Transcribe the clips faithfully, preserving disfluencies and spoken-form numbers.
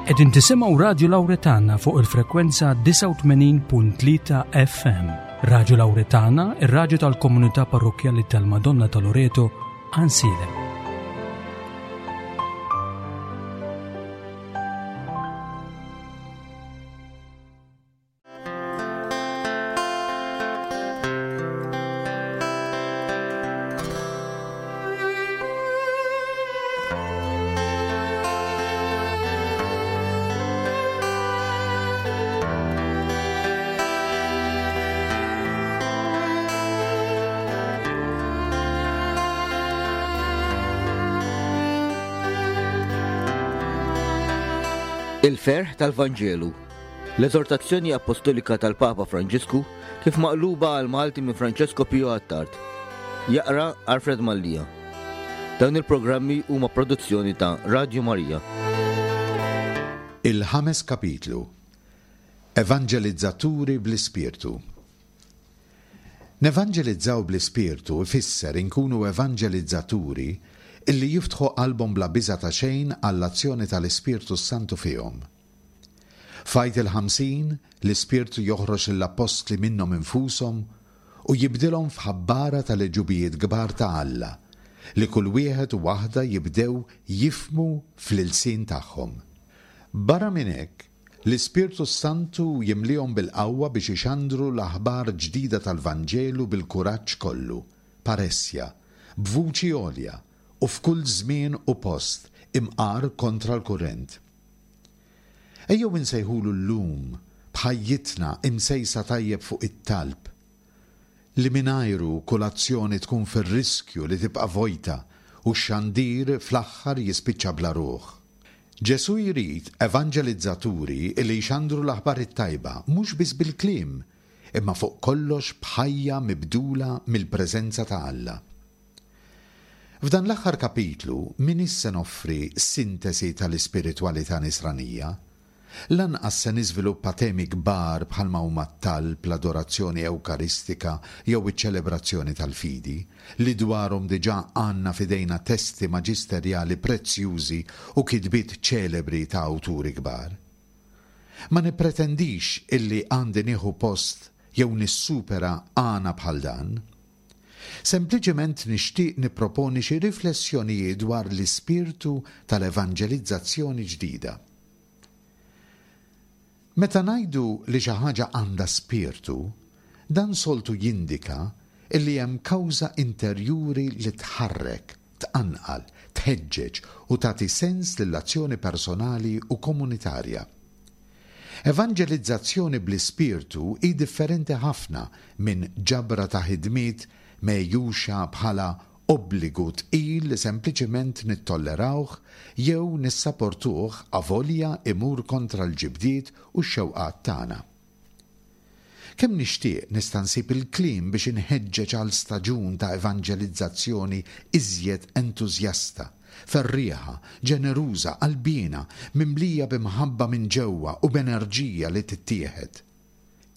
Qegħdin tisimgħu Radju Lawretana fuq il-frekwenza disgħa u tmenin punt tlieta F M. Radju Lawretana, ir-radju tal-Komunità Parrokkjali tal-Madonna ta' Loreto, Għajnsielem. Il-ferħ tal-Vanġelu. L-eżortazzjoni apostolika tal-Papa Franġisku kif maqluba għal Malti minn Francesco Pio Attard. Jaqra Alfred Mallia. Dawn il-programmi huma produzzjoni ta' Radio Maria. Il-ħames kapitlu. Evanġelizzaturi bl-Ispirtu. Nevanġelizzaw bl-Ispirtu ifisser inkunu evanġelizzaturi illi jiftħu qalbhom bla biża ta' xejn għall-azzjoni tal-Ispirtu Santu fihom. F'Għid il-Ħamsin, l-Ispirtu joħroġ lill-appostli minnhom infushom u jibdilhom f'ħabbara tal-għeġubijiet kbar ta' Alla li kull wieħed u waħda jibdew jifhmu fl-ilsien tagħhom. Barra minn hekk, l-Ispirtu Santu jimlihom bil-qawwa biex ixandru l-aħbar ġdida tal-Vanġelu bil-kuraġġ kollu, parrhesia, b'vuċi għolja u f'kull żmien u post imqar kontra l-kurrent. Ejjew insejħulu llum b'ħajjitna imsejsa tajjeb fuq it-talb li mingħajru kull azzjoni tkun fir-riskju li tibqa' vojta u x-xandir fl-aħħar jispiċċa bla ruħ. Ġesu jrid evanġelizzaturi li jxandru l-aħbar it-tajba mhux biss bil-kliem, imma fuq kollox b'ħajja mibdula mill-preżenza ta' Alla. F'dan l-aħħar kapitlu m'iniex se noffri sintesi tal-ispiritwalità nisranija. Lanqas se niżviluppa temi kbar bħalma huma t-talb, l-adorazzjoni ewkaristika jew iċ-ċelebrazzjoni tal-fidi, li dwarhom diġà għandna f'idejna testi maġisterjali prezzjużi u kitbiet ċelebri ta' awturi kbar. Ma nipretendix illi għandi nieħu post jew nissupera għana bħal dan. Sempliċement nixtieq nipproponi xi riflessjonijiet dwar l-ispirtu tal-evanġelizzazzjoni ġdida. Meta ngħidu li xi ħaġa għandha spirtu, dan soltu jindika illi hemm kawża interjuri li tħarrek, tqanqal, tħeġġeġ u tagħti sens lill-azzjoni personali u komunitarja. Evanġelizzazzjoni bl-ispirtu hi differenti ħafna minn ġabra ta' ħidmiet megħjuxa bħala obbligu tqil li sempliċement nittollerawh jew nissaportuh avolja imur kontra l-ġibdiet u x-xewqat tagħna. Kemm nixtieq nista' nsib il-kliem biex inħeġġeġ għal staġun ta' evanġelizzazzjoni iżjed entużjasta, ferrieħa, ġeneruża, qalbina, mimlija b'imħabba minn ġewwa u b'enerġija li tittieħed.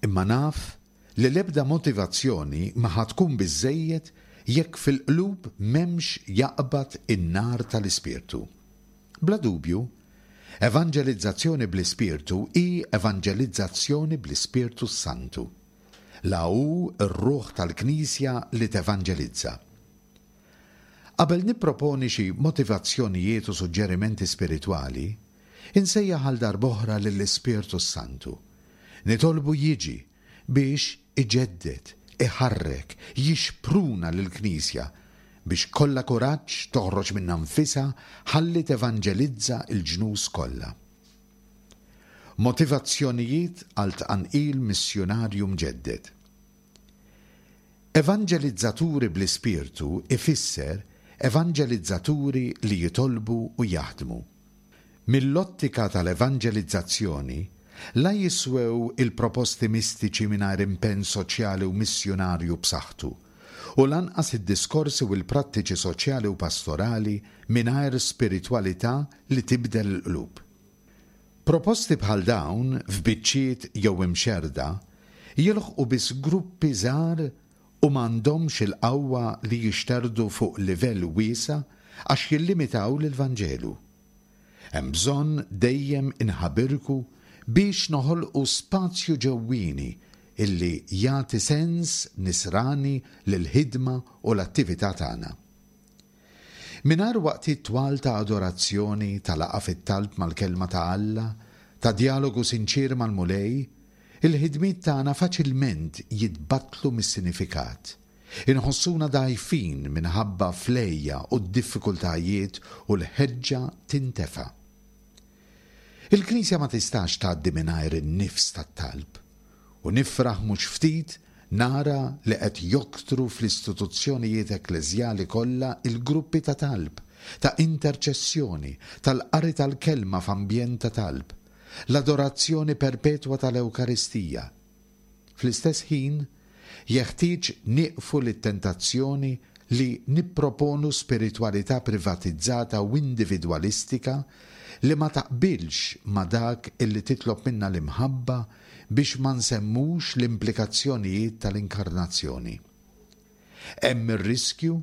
Imma naf li l-ebda motivazzjoni ma ħa tkun biżejjed jekk fil-qlub m'hemmx jaqbad in-nar tal-Ispirtu. Bla dubju, evanġelizzazzjoni bl-Ispirtu hi evanġelizzazzjoni bl-Ispirtu Santu. La hu r-ruħ tal-Knisja li tevanġelizza. Qabel nipproponi xi motivazzjonijiet u suġġerimenti spiritwali, insejjaħ għal darb'oħra lill-Ispirtu Santu. Nitolbu jiġi biex iġedded, iħarrek, jixpruna lill-Knisja biex kollha kuraġġ toħroġ minnha nfisha ħalli tevanġelizza l-ġnus kollha. Motivazzjonijiet għal tqanqil missjunarju mġedded. Evanġelizzaturi bl-Ispirtu ifisser evanġelizzaturi li jitolbu u jaħdmu. Mill-ottika tal-evanġelizzazzjoni, la jiswew il-proposti mistiċi mingħajr impenn soċjali u missjunarju b'saħħtu, u lanqas id-diskorsi u l-prattiċi soċjali u pastorali mingħajr spiritwalità li tibdel il-qlub. Proposti bħal dawn f'biċċiet jew imxerda jilħqu biss gruppi żgħar u m'għandhomx il-qawwa li jixterdu fuq livell wiesa' għax jillimitaw lill-Vanġelu. Hemm bżonn dejjem inħabirku biex noħolqu spazju ġewwieni illi jagħti sens nisrani lill-ħidma u l-attività tagħna. Mingħajr waqtiet twal ta' adorazzjoni, ta' laqgħa fit-talb mal-kelma ta' Alla, ta' djalogu sinċier mal-Mulej, il-ħidmiet tagħna faċilment jitbattlu mis-sinifikat. Inħossuna dgħajfin minħabba fl-għeja u d-diffikultajiet u l-ħeġġa tintefa'. Il-Knisja ma tistax tgħaddi mingħajr in-nifs tat-talb, u nifraħ mhux ftit nara li qed joktru fl-istituzzjonijiet ekkleżjali kollha il-gruppi ta' talb, ta' interċessjoni, tal-qari tal-kelma f'ambjent ta' talb, l-adorazzjoni perpetwa tal-Ewkaristija. Fl-istess ħin, jeħtieġ nieqfu lit-tentazzjoni li nipproponu spiritwalità privatizzata u individwalistika li ma taqbilx ma' dak illi titlob minna l-imħabba biex ma nsemmux l-implikazzjonijiet tal-inkarnazzjoni. Hemm ir-riskju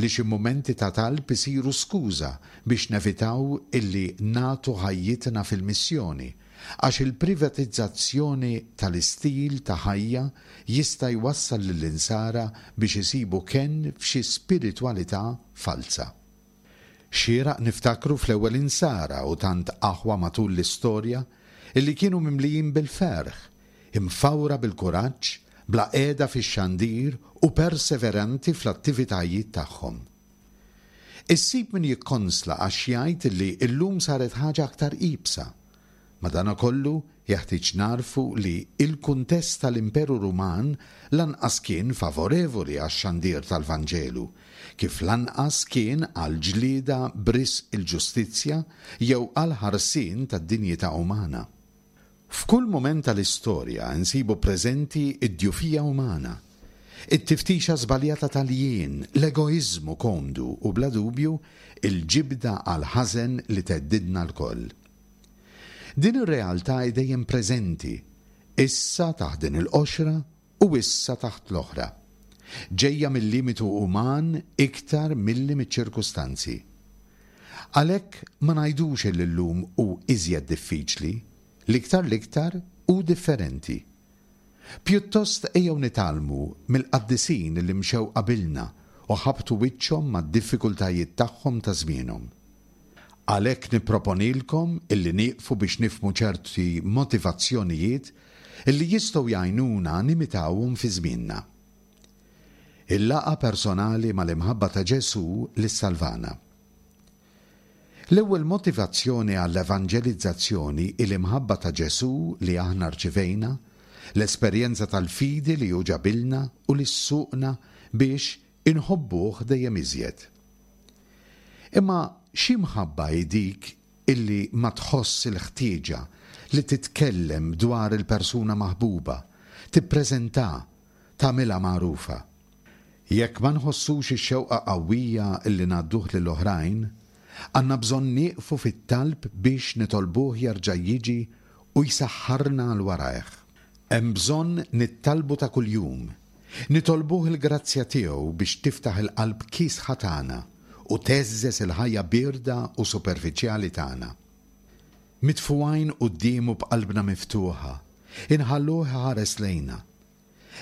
li xi mumenti ta' talb isiru skuża biex nevitaw illi nagħtu ħajjitna fil-missjoni, għax il-privatizzazzjoni tal-istil ta' ħajja jista' jwassal lill-insara biex isibu kenn f'xi spiritwalità falza. Xieraq niftakru fl-ewwel insara u tant aħwa matul l-istorja illi kienu mimlijin bil-ferħ, imfawra bil-kuraġġ, bla qiegħda fix-xandir u perseveranti fl-attivitajiet tagħhom. Issib min jikkonsla għax jgħid illi llum saret ħaġa aktar iebsa. Madanakollu jeħtieġ narfu li il-kuntest tal-Imperu Ruman lanqas kien favorevoli għax-xandir tal-Vanġelu, kif lanqas kien għal ġlieda b'risq il-ġustizzja jew għal ħarsien tad-dinjità umana. F'kull mument tal-istorja nsibu preżenti id-djufija umana, it-tiftixa żbaljata tal-jien, l-egoiżmu komdu u bla dubju il-ġibda għal ħażen li theddidna lkoll. Din ir-realtà hi dejjem preżenti, issa taħt din il-qoxra u issa taħt l-oħra. Ġejja mill-limitu uman iktar milli miċ-ċirkustanzi. Għalhekk ma ngħidux li llum hu iżjed diffiċli, l-iktar l-iktar u differenti. Pjuttost ejjew nitgħallmu mill-qaddisin li mxew qabilna u ħabtu wiċċhom mad-diffikultajiet tagħhom ta' żmienhom. Għalhekk nipproponilkom illi nieqfu biex nifhmu ċerti motivazzjonijiet illi jistgħu jgħinuna nimitawhom fi żmienna. Il-laqgħa personali mal-imħabba ta' Ġesù li salvana. L-ewwel motivazzjoni għall-evanġelizzazzjoni hi l-imħabba ta' Ġesù li aħna rċivejna, l-esperjenza tal-fidi li hu ġabilna u li ssuqna biex inħobbuh dejjem iżjed. Imma xi mħabba hi dik illi ma tħoss il-ħtieġa li titkellem dwar il-persuna maħbuba, tippreżenta, tagħmilha magħrufa. Jekk ma nħossux ix-xewqa qawwija illi ngħadduh lill-oħrajn, għandna bżonn nieqfu fit-talb biex nitolbuh jerġa' jiġi u jsaħħarna għal warajh. Hemm bżonn nittalbu ta' kuljum, nitolbuh il-grazzja tiegħu biex tiftaħ il-qalb kiesħa tagħna u teżżeż il-ħajja bierda u superfiċjali tagħna. Mitfugħin quddiemu b'qalbna miftuħa, inħalluh iħares lejna.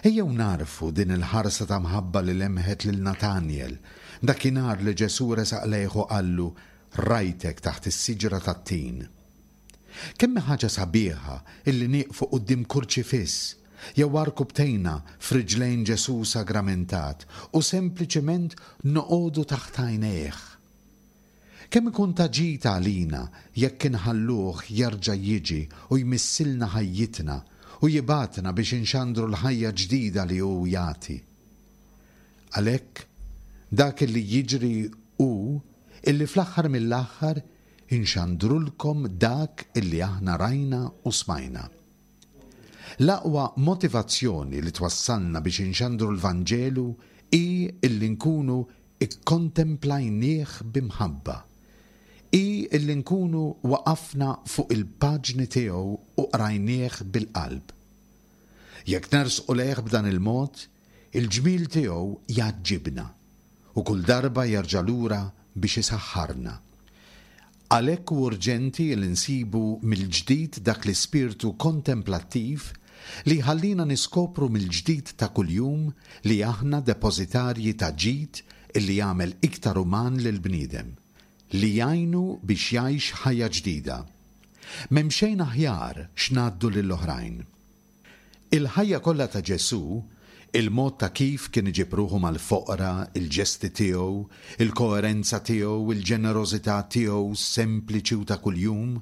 Ejjew narfu din il-ħarsa ta' mħabba li lemħet lil Natanjel, dakinhar li Ġesù resaq lejh u qallu rajtek taħt is-siġra tat-tin. Kemm hi ħaġa sabiħa illi nieqfu quddiem kurċifiss jew għarkupptejna f'riġlejn Ġesù sagramentat u sempliċement noqogħdu taħt għajnejh. Kemm ikun ta' ġid għalina jekk inħalluh jerġa' jiġi u jmissilna ħajjitna u jibgħatna biex inxandru l-ħajja ġdida li hu jagħti. Għalhekk dak li jiġri hu illi fl-aħħar mill-aħħar inxandrulkom dak illi aħna rajna u smajna. L-aqwa motivazzjoni li twassalna biex inxandru l-Vanġelu hi illi nkunu ikkontemplajnieh b'imħabba. Hi illi nkunu waqafna fuq il-paġni tiegħu u qrajnieh bil-qalb. Jekk nersqu lejh b'dan il-mod, il-ġmiel tiegħu jgħaġġibna u kull darba jerġa' lura biex isaħħarna. Għalhekk hu urġenti li nsibu mill-ġdid dak l-ispirtu kontemplattiv li jħallina niskopru mill-ġdid ta' kuljum li aħna depożitarji ta' ġid illi jagħmel iktar uman lill-bniedem, li jgħinu biex jgħix ħajja ġdida. M'hemm xejn aħjar x'ngħaddu lill-oħrajn. Il-ħajja kollha ta' Ġesù, il-mod ta' kif kien iġib ruħu mal-foqra, il-ġesti tiegħu, il-koerenza tiegħu, il-ġenerożità tiegħu sempliċi u ta' kuljum,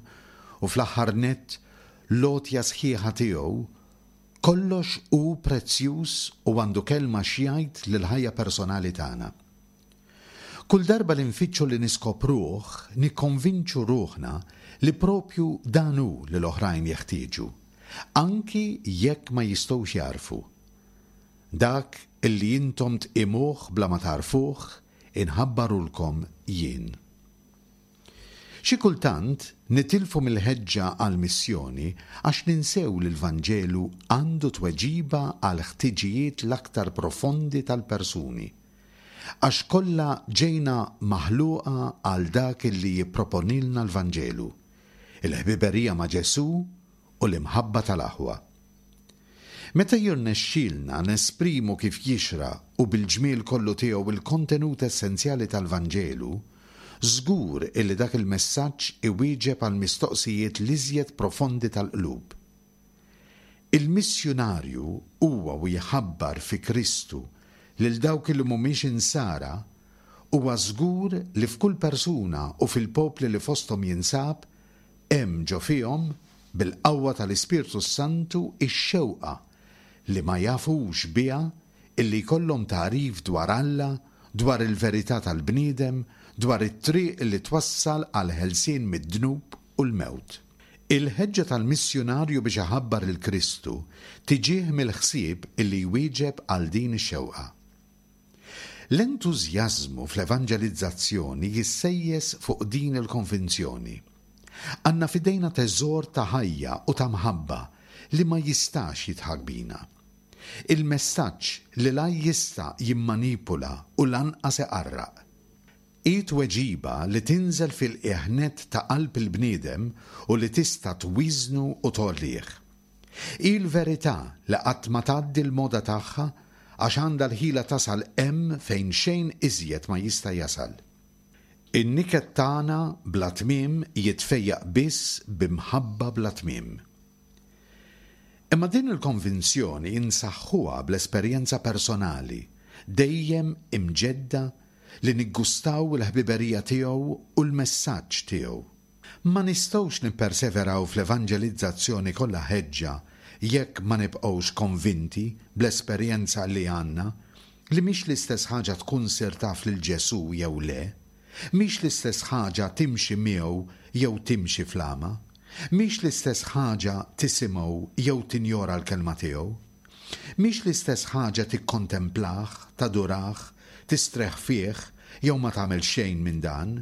u fl-aħħar nett l-għotja sħiħa tiegħu, kollox hu prezzjuż u għandu kelma x'jgħid lill-ħajja personali tagħna. Kull darba li nfittxu li niskopruh, nikkonvinċu ruħna li propju dan hu li l-oħrajn jeħtieġu, anki jekk ma jistgħux jagħrfu. Dak illi intom tqimuh bla ma tagħrfuh, inħabbarulkom jien. Xi kultant nitilfu mill-ħeġġa għall-missjoni għax ninsew li l-Vanġelu għandu tweġiba għal ħtiġijiet l-aktar profondi tal-persuni. Għax kollha ġejna maħluqa għal dak illi jipproponilna l-Vanġelu, il-ħbiberija ma' Ġesù u l-imħabba tal-aħwa. Meta jirnexxielna nesprimu kif jixraq u bil-ġmiel kollu tiegħu il-kontenut essenzjali tal-Vanġelu, żgur illi dak il-messaġġ iwieġeb għal mistoqsijiet l-iżjed profondi tal-qlub. Il-missjunarju huwa u jħabbar fi Kristu lil dawk li mhumiex insara, huwa żgur li f'kull persuna u fil-popli li fosthom jinsab hemm ġo fihom bil-qawwa tal-Ispirtu Santu ix-xewqa li ma jafux biha illi jkollhom tagħrif dwar Alla, dwar il-verità tal-bniedem, dwar it-triq li twassal għal ħelsien mid-dnub u l-mewt. Il-ħeġġa tal-missjunarju biex iħabbar il-Kristu tiġih mill-ħsieb illi jwieġeb għal din ix-xewqa. L-entużjażmu fl-evanġelizzazzjoni jissejjes fuq din il-konvinzjoni. Għandna f'idejna teżor ta' ħajja u ta' mħabba li ma jistax jidħak bina. Il-messaġġ li la jista' jimmanipula u lanqas iqarraq. Hi tweġiba li tinżel fil-qiegħ nett ta' qalb il-bniedem u li tista' twiżnu u tgħollih. Hi l-verità li qatt ma tgħaddi l-moda tagħha għax għandha l-ħila tasal hemm fejn xejn iżjed ma jista' jasal. In-niket tagħna bla tmiem jitfejjaq biss b'imħabba bla tmiem. Imma din il-konvinzjoni insaħħuha bl-esperjenza personali, dejjem imġedda li niggustaw il-ħbiberija tiegħu u l-messaġġ tiegħu. Ma nistgħux nipperseveraw fl-evanġelizzazzjoni kollha ħeġġa jekk ma nibqgħux konvinti bl-esperjenza li għandna li mhix l-istess ħaġa tkun sir taf lil Ġesù jew le, mhix l-istess ħaġa timxi miegħu jew timxi fl-għama, mhix l-istess ħaġa tisimgħu jew tinjora l-kelma tiegħu, mhix l-istess ħaġa tikkontemplah, tadurah, tistreħ fih jew ma tagħmel xejn minn dan.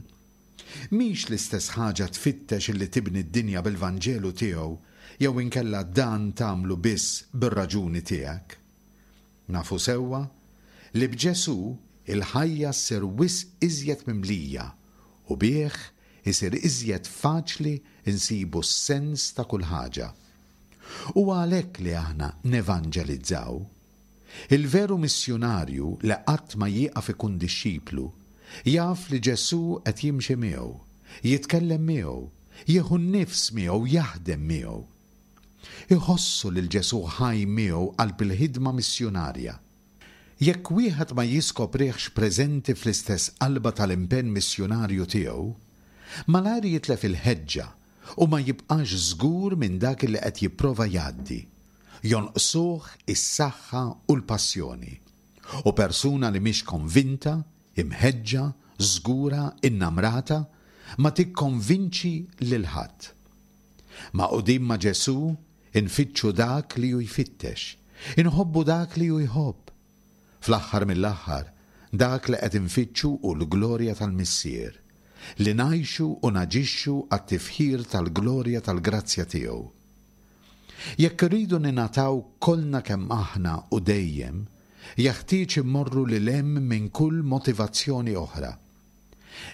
Mhix l-istess ħaġa tfittex illi tibni d-dinja bil-Vanġelu tiegħu jew inkella dan tagħmlu biss bir-raġuni tiegħek. Nafu sewwa li b'Ġesù il-ħajja ssir wisq iżjed mimlija u bih isir iżjed faċli nsibu s-sens ta' kull ħaġa. U għalhekk li aħna nevanġelizzaw. Il-veru missjunarju li qatt ma jieqaf ikun dixxiplu jaf li Ġesù qed jimxi miegħu, jitkellem miegħu, jieħu n-nifs miegħu, jaħdem miegħu. Iħossu lil Ġesù ħaj miegħu qalb il-ħidma missjunarja. Jekk wieħed ma jiskopriħx preżenti fl-istess qalba tal-impenn missjunarju tiegħu, malajr jitlef il-ħeġġa u ma jibqax żgur minn dak li qed jipprova jgħaddi. Jonqsuh is-saħħa u l-passjoni. U persuna li mhix konvinta, imħeġġa, żgura, innamrata, ma tikkonvinċi lil ħadd. Magħqudin ma' Ġesù, infittxu dak li hu jfittex, inħobbu dak li hu jħobb. Fl-aħħar mill-aħħar, dak li qed infittxu hu l-glorja tal-Missier, li ngħixu u naġixxu għat-tifħir tal-glorja tal-grazzja tiegħu. Jekk irridu ninataw kollna kemm aħna u dejjem, jeħtieġ immorru lil hemm minn kull motivazzjoni oħra.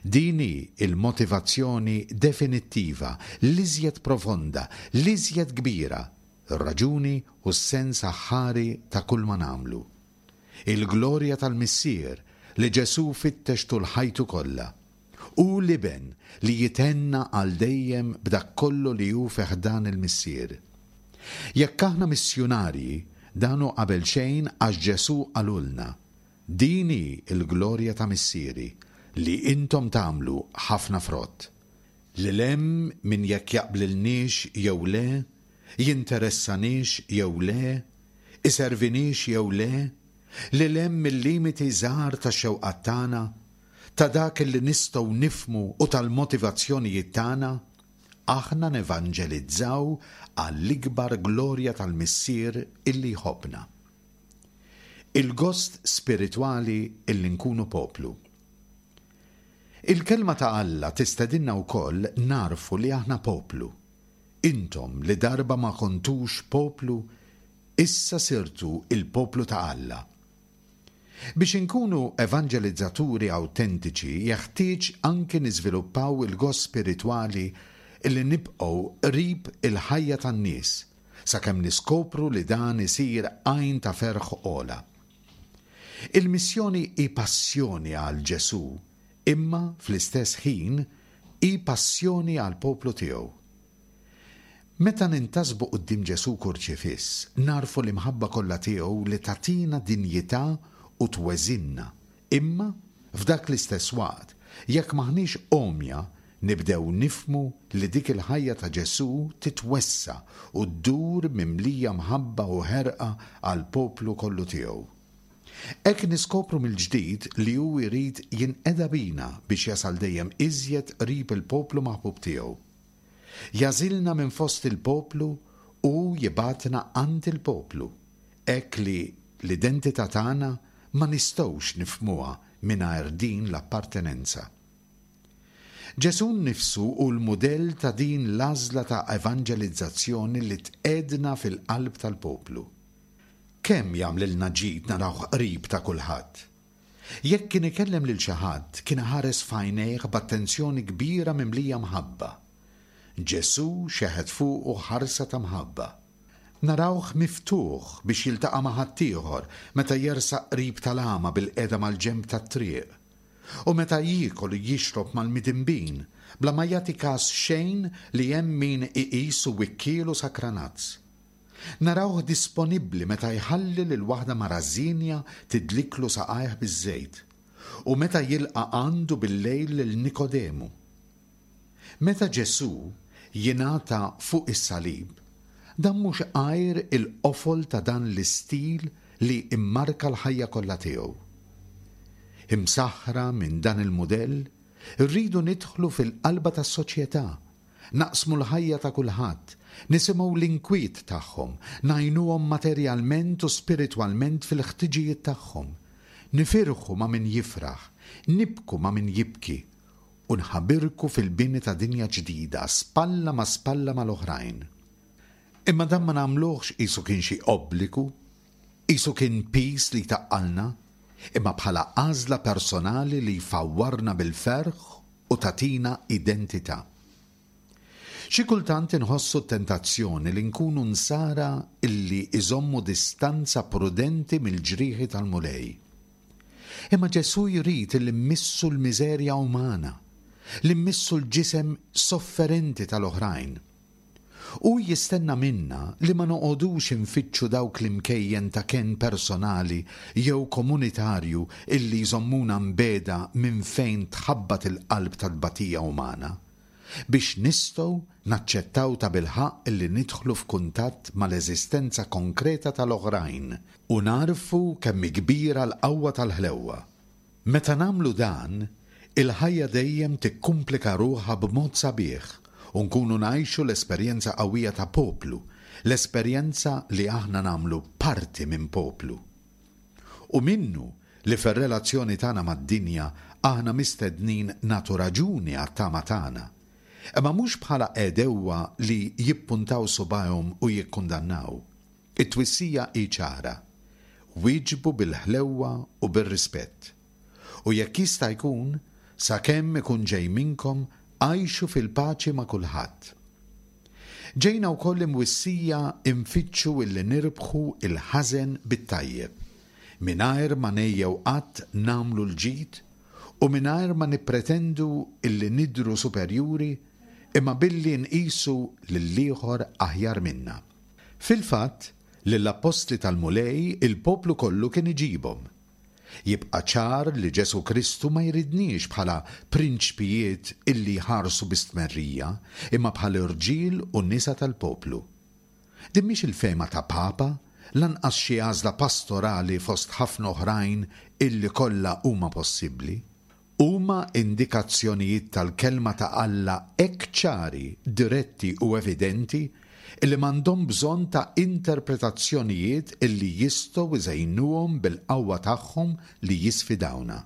Din hi l-motivazzjoni definittiva, l-iżjed profonda, l-iżjed kbira, ir-raġuni u s-sens aħħari ta' kull ma nagħmlu. Il-glorja tal-Missier li Ġesù fittex tul ħajtu kollha. Hu l-Iben li jithenna għal dejjem b'dak kollu li hu fi ħdan il-Missier. Jekk aħna missjunarji, dan hu qabel xejn għax Ġesù qalulna, Din hi l-glorja ta' Missieri, li intom tagħmlu ħafna frott. Lil hemm minn jekk jaqblilniex jew le, jinteressaniex jew le, iserviniex jew le, lil hemm mill-limiti żgħar tax-xewqat tagħna, ta' dak li nistgħu nifhmu u tal-motivazzjonijiet tagħna, aħna nevanġelizzaw għall-ikbar glorja tal-Missier illi jħobbna. Il-gost spiritwali illi nkunu poplu. Il-kelma ta' Alla tistedinna wkoll nagħrfu li aħna poplu. Intom li darba ma kontux poplu, issa sirtu il-poplu ta' Alla. Biex inkunu evanġelizzaturi awtentiċi jeħtieġ anki niżviluppaw il-gost spiritwali illi nibqgħu qrib il-ħajja tan-nies sakemm niskopru li dan isir għajn ta' ferħ ogħla. Il-missjoni hi passjoni għal Ġesù, imma fl-istess ħin hi passjoni għall-poplu tiegħu. Meta nintasbu quddiem Ġesù kurċifiss, nagħrfu l-imħabba kollha tiegħu li tagħtina dinjità u tweżinna, imma f'dak l-istess waqt, jekk m'aħniex għomja, nibdew nifhmu li dik il-ħajja ta' Ġesù titwessa' u ddur mimlija mħabba u ħerqa għall-poplu kollu tiegħu. Hekk niskopru mill-ġdid li hu jrid jinqeda bina biex jasal dejjem iżjed qrib il-poplu maħbub tiegħu. Jagħżilna minn fost il-poplu u jibgħatna għand il-poplu, hekk li l-identità tagħna ma nistgħux nifhmuha mingħajr din l-appartenenza. Ġesù nnifsu hu l-mudell ta' din l-għażla ta' evanġelizzazzjoni li tqegħedna fil-qalb tal-poplu. Kemm jagħmlilna ġid narawh qrib ta' kulħadd. Jekk kien ikellem lil xi ħadd, kien iħares f'għajnejh b'attenzjoni kbira mimlija mħabba. Ġesù xeħet fuqu ħarsa ta' mħabba. Narawh miftuħ biex jiltaqa' ma' ħaddieħor meta jersaq qrib tal-għama bil-qiegħda mal-ġenb tat-triq. U meta jiekol u jixrob mal-midinbin, bla ma jagħti każ xejn li hemm min iqisu wikkiel u sakranazz. Narawh disponibbli meta jħalli lil waħda mara żienja tidliklu saqajh biż-żejt, u meta jilqa' għandu bil-lejl lil Nikodemu. Meta Ġesù jingħata fuq is-salib, dan mhux għajr il-qofol ta' dan l-istil li immarka l-ħajja kollha tiegħu. Imsaħħra minn dan il-mudell, irridu nidħlu fil-qalba tas-soċjetà, naqsmu l-ħajja ta' kulħadd, nisimgħu l-inkwiet tagħhom, ngħinuhom materjalment u spiritwalment fil-ħtiġijiet tagħhom, nifirħu ma' min jifraħ, nibku ma' min jibki, u nħabirku fil-bini ta' dinja ġdida, spalla ma' spalla mal-oħrajn. Imma dan ma nagħmluhx qisu kien xi obbligu, qisu kien piż li taqqalna, imma bħala għażla personali li jfawwarna bil-ferħ u tagħtina identità. Xi kultant inħossu t-tentazzjoni li nkunu nsara illi iżommu distanza prudenti mill-ġrieħi tal-Mulej. Imma Ġesù jrid li mmissu l-miżerja umana, li mmissu l-ġisem sofferenti tal-oħrajn. Hu jistenna minna li ma noqogħdux infittxu dawk l-imkejjen ta' kenn personali jew komunitarju illi jżommuna mbiegħda minn fejn tħabbat il-qalb tat-tbatija umana, biex nistgħu naċċettaw ta' bilħaqq illi nidħlu f'kuntatt mal-eżistenza konkreta tal-oħrajn u nagħrfu kemm hi kbira l-qawwa tal-ħlewwa. Meta nagħmlu dan, il-ħajja dejjem tikkumplika ruħha b'mod sabiħ u nkunu ngħixu l-esperjenza qawwija ta' poplu, l-esperjenza li aħna nagħmlu parti minn poplu. U minnu li fir-relazzjoni tagħna mad-dinja aħna mistednin nagħtu raġuni għat-tama tagħna, imma mhux bħala għedewwa li jippuntaw subgħajhom u jikkundannaw. It-twissija hi ċara. Wieġbu bil-ħlewwa u bir-rispett. U jekk jista' jkun, Sakemm ikun ġej minnkom, għixu fil-paċi ma' kulħadd. Ġejna wkoll imwissija nfittxu illi nirbħu il-ħażen bit-tajjeb, mingħajr ma ngħejjew qatt nagħmlu l-ġid u mingħajr ma nippretendu illi nidhru superjuri, imma billi nqisu lill-ieħor aħjar minna. Fil-fatt, lill-appostli tal-Mulej il-poplu kollu kien iġibhom. Jibqa' ċar li Ġesù Kristu ma jridniex bħala prinċpijiet illi jħarsu bi stmerrija, imma bħala rġiel u nisa tal-poplu. Din mhix il-fehma ta' Papa, lanqas xi għażla pastorali fost ħafna oħrajn illi kollha huma possibbli. Huma indikazzjonijiet tal-kelma ta' Alla hekk ċari, diretti u evidenti illi m'għandhom bżonn ta' interpretazzjonijiet illi jistgħu iżejnuhom bil-qawwa tagħhom li jisfidawna.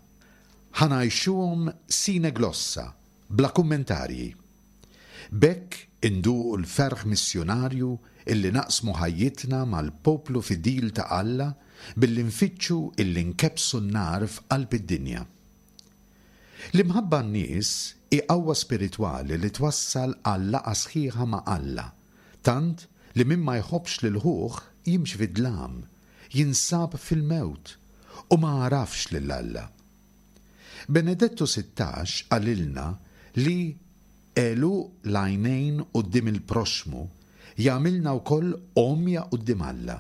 Ħa ngħixuhom sine glossa, bla kummentarji. B'hekk induqu l-ferħ missjunarju illi naqsmu ħajjitna mal-poplu fidil ta' Alla billi nfittxu illi nkebbsu n-nar f'qalb id-dinja. L-imħabba n-nies hi qawwa spiritwali li twassal għal laqgħa sħiħa ma' Alla, tant li min ma jħobbx lil ħuh jimxi fid-dlam, jinsab fil-mewt u ma għarafx lil Alla. Benedettu Sittax qalilna li għeluq l-għajnejn quddiem il-proxxmu jagħmilna wkoll għomja quddiem Alla,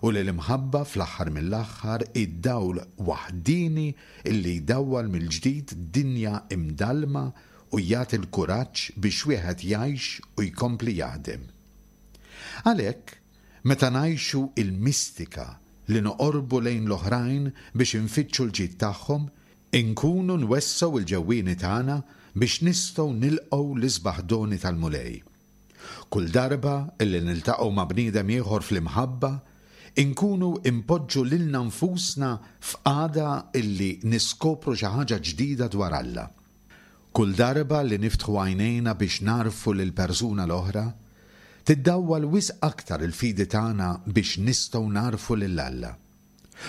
u li l-imħabba fl-aħħar mill-aħħar id-dawl waħdini illi jdawwal mill-ġdid dinja imdalma u jagħti l-kuraġġ biex wieħed jgħix u jkompli jaħdem. Għalhekk, meta ngħixu il-mistika li noqorbu lejn l-oħrajn biex infittxu l-ġid tagħhom, inkunu nwessgħu l-ġewwieni tagħna biex nistgħu nilqgħu l-isbaħ doni tal-Mulej. Kull darba illi niltaqgħu ma' bniedem ieħor fl-imħabba, inkunu impoġġu lilna nfusna f'qagħda illi niskopru xi ħaġa ġdida dwar Alla. Kull darba li niftħu għajnejna biex narfu lil persuna l-oħra, tiddawwal wisq aktar il-fidi tagħna biex nistgħu narfu lil Alla.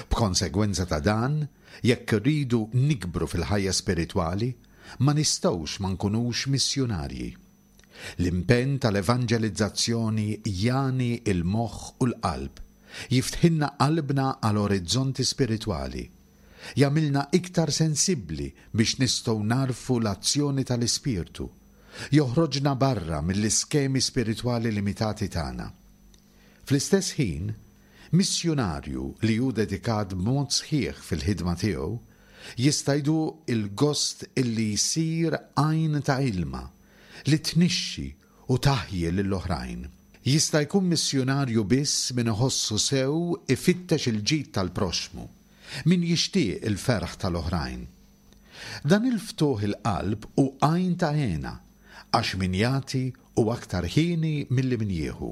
B'konsegwenza ta' dan, jekk irridu nikbru fil-ħajja spiritwali, ma nistgħux ma nkunux missjunarji. L-impenn tal-evanġelizzazzjoni jagħni il-moħħ u l-qalb, jiftħilna qalbna għal orizzonti spiritwali, jagħmilna iktar sensibbli biex nistgħu narfu l-azzjoni tal-Ispirtu, joħroġna barra mill-iskemi spiritwali limitati tagħna. Fl-istess ħin, missjunarju li hu dedikat b'mod sħiħ fil-ħidma tiegħu jista' jduq il-gost illi jsir għajn ta' ilma li tnixxi u taħji lill-oħrajn. Jista' jkun missjunarju biss min iħossu sew ifittex il-ġid tal-proxxmu, min jixtieq il-ferħ tal-oħrajn. Dan il-ftuħ il-qalb hu għajn ta' hena, għax min jagħti hu aktar ħieni milli min jieħu.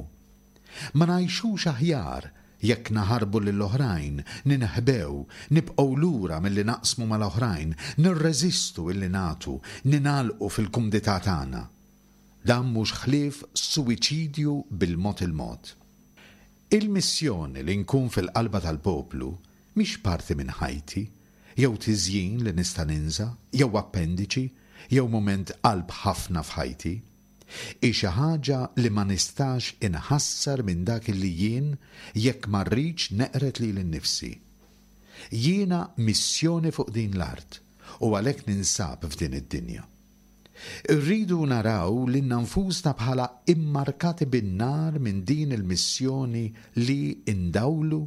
Ma ngħixux aħjar jekk naħarbu lill-oħrajn, ninħbew, nibqgħu lura milli naqsmu mal-oħrajn, nirreżistu illi nagħtu, ninalqu fil-kumdità tagħna. Dan mhux ħlief suwiċidju bil-mod il-mod. Il-missjoni li nkun fil-qalba tal-poplu mhix parti minn ħajti, jew tiżjin li nista' ninża, jew appendiċi, jew mument qalb ħafna f'ħajti. Hi xi ħaġa li ma nistax inħassar minn dak li jien jekk ma rridx neqred lili nnifsi. Jiena missjoni fuq din l-art u għalhekk ninsab f'din id-dinja. Irridu naraw lilna nfusna bħala immarkati bin-nar minn din il-missjoni li indawlu,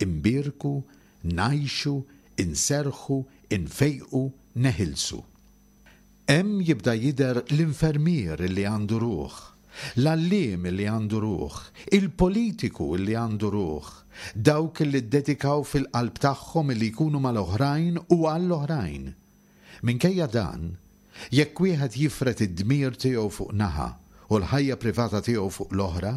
imbierku, ngħixu, inserħu, infejqu, neħilsu. Hemm jibda jidher l-infermier li għandu ruħ, l-għalliem li għandu ruħ, il-politiku li għandu ruħ, dawk li ddedikaw fil-qalb tagħhom li jkunu mal-oħrajn u għall-oħrajn. Minkejja dan, jekk wieħed jifred id-dmir tiegħu fuq naħa u l-ħajja privata tiegħu fuq l-oħra,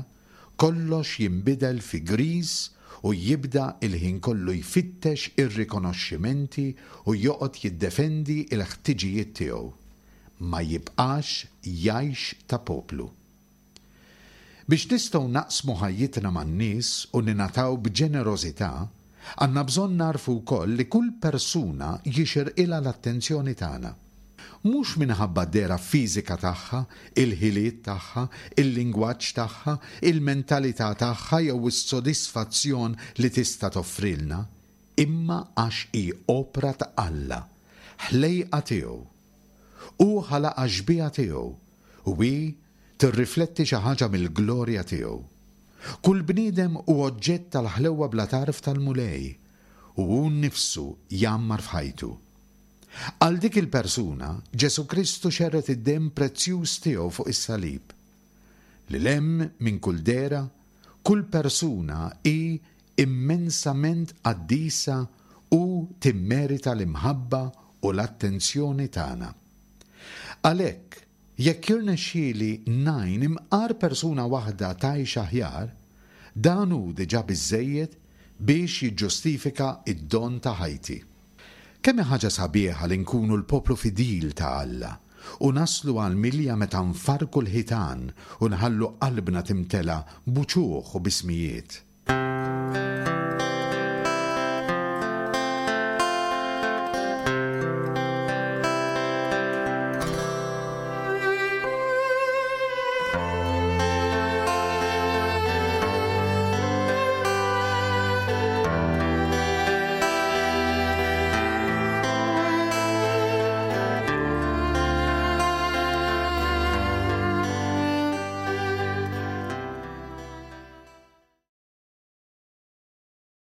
kollox jinbidel fi griż u jibda il-ħin kollu jfittex ir-rikonoxximenti u joqgħod jiddefendi l-ħtiġijiet tiegħu. Ma jibqax jgħix ta' poplu. Biex nistgħu naqsmu ħajjitna man-nies u ninataw b'ġenerożità, għandna bżonn narfu wkoll li kull persuna jixirqilha l-attenzjoni tagħna. Mhux minħabba d-dehra fiżika tagħha, il-ħiliet tagħha, il-lingwaġġ tagħha, il-mentalità tagħha jew is-sodisfazzjon li tista' toffrilna, imma għax hi opra ta' Alla, ħlejqa tiegħu. Hu ħalaqha xbieha tiegħu u hi tirrifletti xi ħaġa mill-glorja tiegħu. Kull bniedem hu oġġett tal-ħlewwa bla tarf tal-Mulej u hu nnifsu jgħammar f'ħajtu. Għal dik il-persuna, Ġesù Kristu xerred id-demm prezzjuż tiegħu fuq is-salib. Lil hemm minn kull dehra, kull persuna hi immensament qaddisa u timmerita l-imħabba u l-attenzjoni tagħna. Għalhekk, jekk jirnexxieli ngħin imqar persuna waħda tgħix aħjar, dan hu diġà biżżejjed biex jiġġustifika d-don ta' ħajti. Kemm hi ħaġa sabiħa li nkunu l-poplu fidil ta' Alla u naslu għall-milja meta nfarrku l-ħitan u nħallu qalbna timtela b'uċuħ u b'ismijiet.